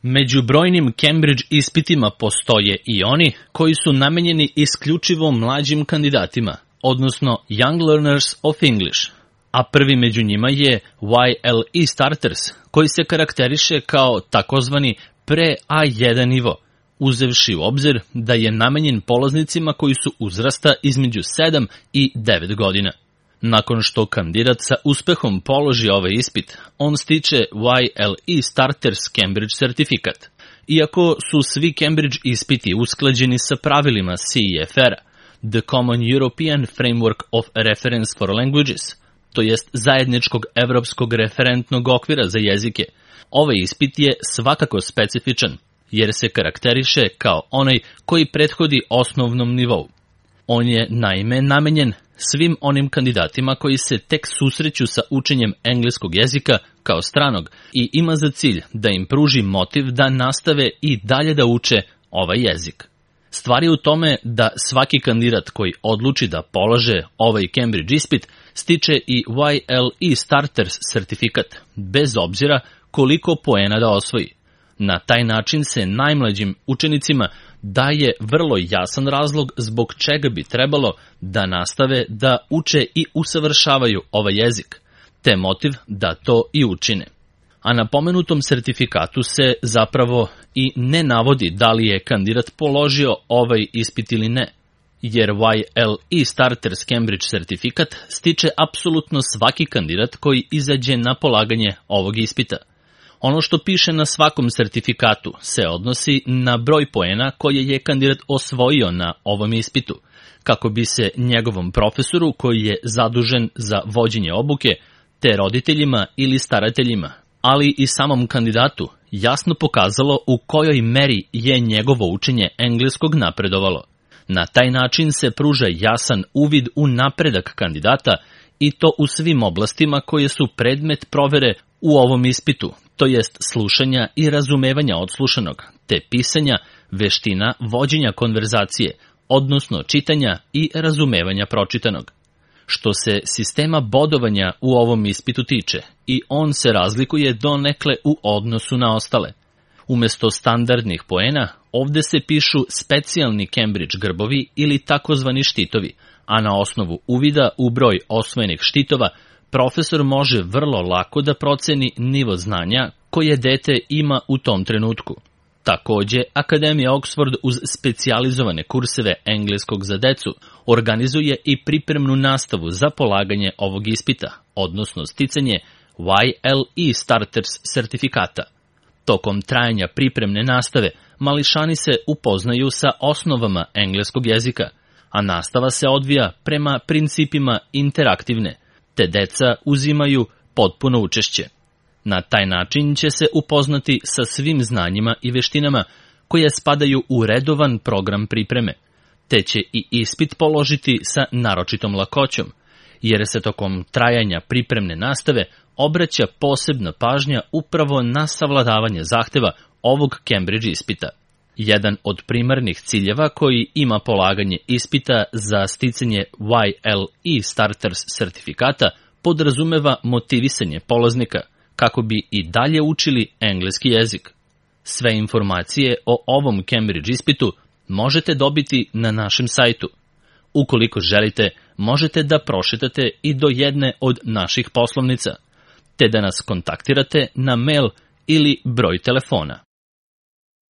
Među brojnim Cambridge ispitima postoje i oni koji su namenjeni isključivo mlađim kandidatima, odnosno Young Learners of English, a prvi među njima je YLE Starters, koji se karakteriše kao takozvani pre-A1 nivo, uzevši u obzir da je namenjen polaznicima koji su uzrasta između 7 i 9 godina. Nakon što kandidat sa uspehom položi ovaj ispit, on stiče YLE Starters Cambridge certifikat. Iako su svi Cambridge ispiti usklađeni sa pravilima CEFR-a, The Common European Framework of Reference for Languages, to jest zajedničkog evropskog referentnog okvira za jezike, ovaj ispit je svakako specifičan, jer se karakteriše kao onaj koji prethodi osnovnom nivou. On je naime namenjen svim onim kandidatima koji se tek susreću sa učenjem engleskog jezika kao stranog i ima za cilj da im pruži motiv da nastave i dalje da uče ovaj jezik. Stvar je u tome da svaki kandidat koji odluči da polaže ovaj Cambridge ispit stiče i YLE Starters certifikat, bez obzira koliko poena da osvoji. Na taj način se najmlađim učenicima daje vrlo jasan razlog zbog čega bi trebalo da nastave da uče i usavršavaju ovaj jezik, te motiv da to i učine. A na pomenutom sertifikatu se zapravo i ne navodi da li je kandidat položio ovaj ispit ili ne, jer YLE Starters Cambridge certifikat stiče apsolutno svaki kandidat koji izađe na polaganje ovog ispita. Ono što piše na svakom sertifikatu se odnosi na broj poena koje je kandidat osvojio na ovom ispitu, kako bi se njegovom profesoru koji je zadužen za vođenje obuke, te roditeljima ili starateljima, ali i samom kandidatu jasno pokazalo u kojoj meri je njegovo učenje engleskog napredovalo. Na taj način se pruža jasan uvid u napredak kandidata i to u svim oblastima koje su predmet provere u ovom ispitu, to jest slušanja i razumevanja odslušanog, te pisanja, veština vođenja konverzacije, odnosno čitanja i razumevanja pročitanog. Što se sistema bodovanja u ovom ispitu tiče, i on se razlikuje donekle u odnosu na ostale. Umesto standardnih poena, ovde se pišu specijalni Cambridge grbovi ili takozvani štitovi, a na osnovu uvida u broj osvojenih štitova, profesor može vrlo lako da proceni nivo znanja koje dete ima u tom trenutku. Takođe, Akademija Oxford uz specijalizovane kurseve engleskog za decu organizuje i pripremnu nastavu za polaganje ovog ispita, odnosno sticanje YLE Starters certifikata. Tokom trajanja pripremne nastave, mališani se upoznaju sa osnovama engleskog jezika, a nastava se odvija prema principima interaktivne, te deca uzimaju potpuno učešće. Na taj način će se upoznati sa svim znanjima i veštinama koje spadaju u redovan program pripreme, te će i ispit položiti sa naročitom lakoćom, jer se tokom trajanja pripremne nastave obraća posebna pažnja upravo na savladavanje zahteva ovog Cambridge ispita. Jedan od primarnih ciljeva koji ima polaganje ispita za sticanje YLE Starters certifikata podrazumeva motivisanje polaznika kako bi i dalje učili engleski jezik. Sve informacije o ovom Cambridge ispitu možete dobiti na našem sajtu. Ukoliko želite, možete da prošetate i do jedne od naših poslovnica, te da nas kontaktirate na mail ili broj telefona.